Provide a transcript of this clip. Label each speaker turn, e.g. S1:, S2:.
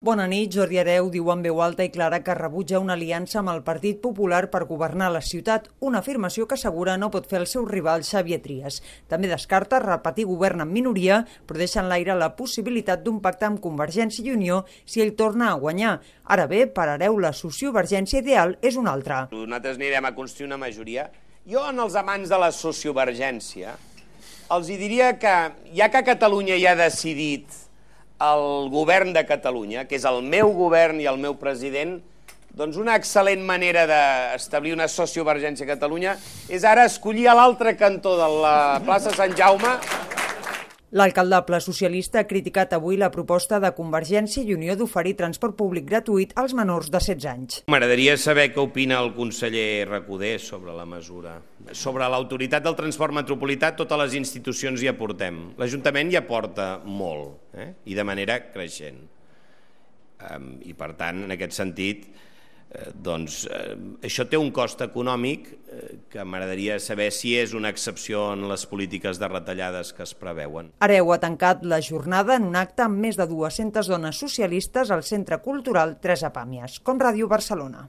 S1: Bona nit. Jordi Hereu diu en veu alta i clara que rebutja una aliança amb el Partit Popular per governar la ciutat, una afirmació que assegura no pot fer el seu rival Xavier Trias. També descarta repetir govern en minoria, però deixa en l'aire la possibilitat d'un pacte amb Convergència i Unió si ell torna a guanyar. Ara bé, per Hereu, la sociovergència ideal és una altra.
S2: Nosaltres anirem a construir una majoria. Jo, en els amants de la sociovergència, els diria que, ja que Catalunya ja ha decidit el govern de Catalunya, que és el meu govern i el meu president, doncs una excel·lent manera d'establir una sociovergència a Catalunya és ara escollir a l'altre cantó de la plaça Sant Jaume.
S1: L'alcaldable socialista ha criticat avui la proposta de Convergència i Unió d'oferir transport públic gratuït als menors de 16 anys.
S2: M'agradaria saber què opina el conseller Recoder sobre la mesura. Sobre l'autoritat del transport metropolità, totes les institucions hi aportem. L'Ajuntament hi aporta molt, i de manera creixent. I per tant, en aquest sentit, això té un cost econòmic que m'agradaria saber si és una excepció en les polítiques de retallades que es preveuen.
S1: Hereu ha tancat la jornada en un acte amb més de 200 dones socialistes al Centre Cultural Teresa Pàmies, com Ràdio Barcelona.